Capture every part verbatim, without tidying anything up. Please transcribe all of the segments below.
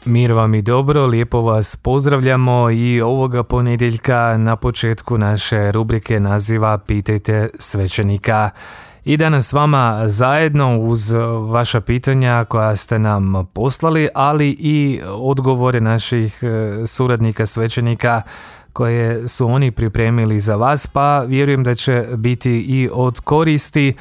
Mir vam i dobro, lijepo vas pozdravljamo i ovoga ponedjeljka na početku naše rubrike naziva Pitajte svećenika. I danas s vama zajedno uz vaša pitanja koja ste nam poslali, ali i odgovore naših suradnika svećenika koje su oni pripremili za vas, pa vjerujem da će biti i od koristi.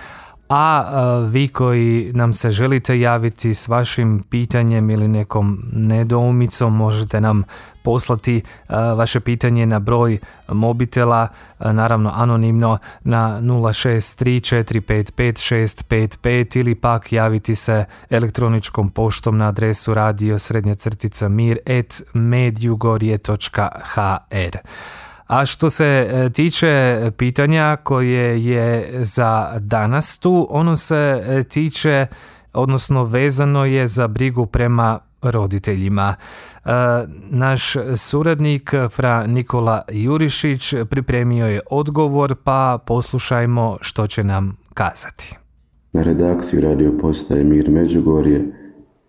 A vi koji nam se želite javiti s vašim pitanjem ili nekom nedoumicom, možete nam poslati vaše pitanje na broj mobitela, naravno anonimno, na nula šest tri četiri pet pet šest pet pet ili pak javiti se elektroničkom poštom na adresu radio srednja crtica mir at medjugorje točka h r. A što se tiče pitanja koje je za danas tu, ono se tiče, odnosno vezano je za brigu prema roditeljima. Naš suradnik fra Nikola Jurišić pripremio je odgovor, pa poslušajmo što će nam kazati. Na redakciju radio postaje Mir Međugorje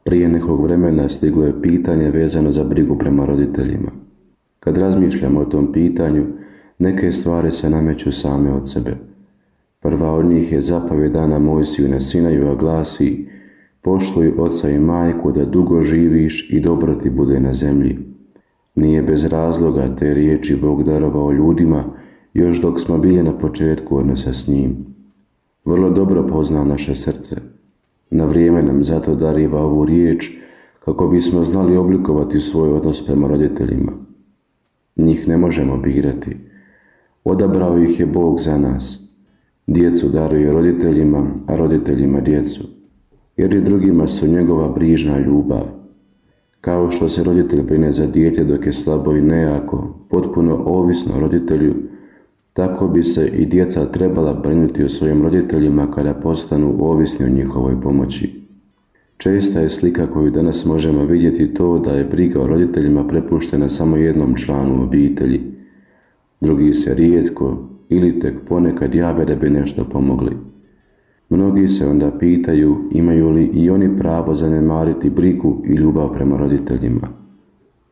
prije nekog vremena stiglo je pitanje vezano za brigu prema roditeljima. Kad razmišljamo o tom pitanju, neke stvari se nameću same od sebe. Prva od njih je zapovjed dana Mojsiju na Sinaju, a glasi: poštuj oca i majku da dugo živiš i dobro ti bude na zemlji. Nije bez razloga te riječi Bog darovao ljudima još dok smo bili na početku odnosa s njim. Vrlo dobro pozna naše srce. Na vrijeme nam zato dariva ovu riječ kako bismo znali oblikovati svoj odnos prema roditeljima. Njih ne možemo birati. Odabrao ih je Bog za nas. Djecu daruje roditeljima, a roditeljima djecu, jer i drugima su njegova brižna ljubav. Kao što se roditelj brine za dijete dok je slabo i nejako, potpuno ovisno o roditelju, tako bi se i djeca trebala brinuti o svojim roditeljima kada postanu ovisni o njihovoj pomoći. Česta je slika koju danas možemo vidjeti to da je briga o roditeljima prepuštena samo jednom članu obitelji. Drugi se rijetko ili tek ponekad jave da bi nešto pomogli. Mnogi se onda pitaju imaju li i oni pravo zanemariti brigu i ljubav prema roditeljima.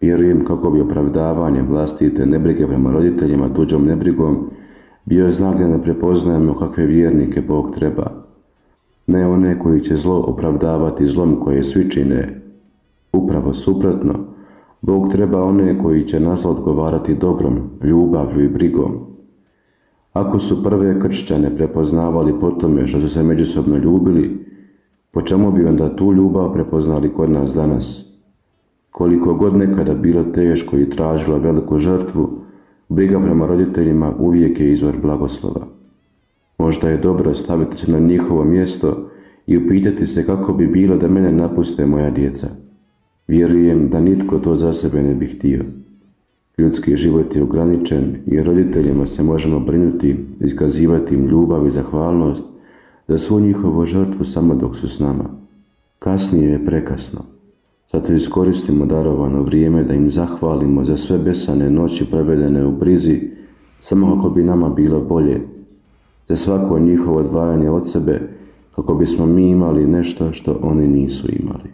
Vjerujem kako bi opravdavanje vlastite nebrige prema roditeljima tuđom nebrigom bio znak da ne prepoznajemo kakve vjernike Bog treba. Ne one koji će zlo opravdavati zlom koje svi čine. Upravo suprotno, Bog treba one koji će na zlo odgovarati dobrom, ljubavlju i brigom. Ako su prve kršćane prepoznavali po tome što su se međusobno ljubili, po čemu bi onda tu ljubav prepoznali kod nas danas? Koliko god nekada bilo teško i tražilo veliku žrtvu, briga prema roditeljima uvijek je izvor blagoslova. Možda je dobro staviti se na njihovo mjesto i upitati se kako bi bilo da mene napuste moja djeca. Vjerujem da nitko to za sebe ne bi htio. Ljudski život je ograničen i roditeljima se možemo brinuti, iskazivati im ljubav i zahvalnost za svu njihovu žrtvu samo dok su s nama. Kasnije je prekasno. Zato iskoristimo darovano vrijeme da im zahvalimo za sve besane noći provedene u brizi, samo kako bi nama bilo bolje, za svako njihovo odvajanje od sebe, kako bismo mi imali nešto što oni nisu imali.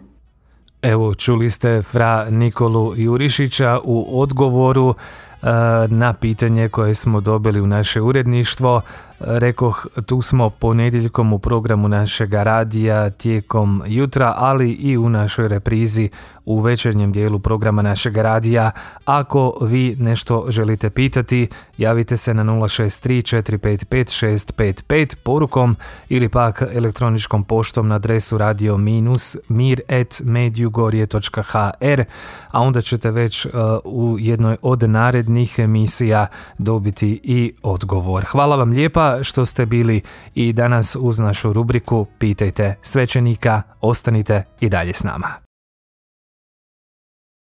Evo, čuli ste fra Nikolu Jurišića u odgovoru e, na pitanje koje smo dobili u naše uredništvo. Rekoh, tu smo ponedjeljkom u programu našega radija tijekom jutra, ali i u našoj reprizi u večernjem dijelu programa našega radija. Ako vi nešto želite pitati, javite se na nula šest tri četiri pet pet šest pet pet porukom ili pak elektroničkom poštom na adresu radio minus mir at medjugorje točka h r, a onda ćete već uh, u jednoj od narednih emisija dobiti i odgovor. Hvala vam lijepa što ste bili i danas uz našu rubriku Pitajte svećenika. Ostanite i dalje s nama.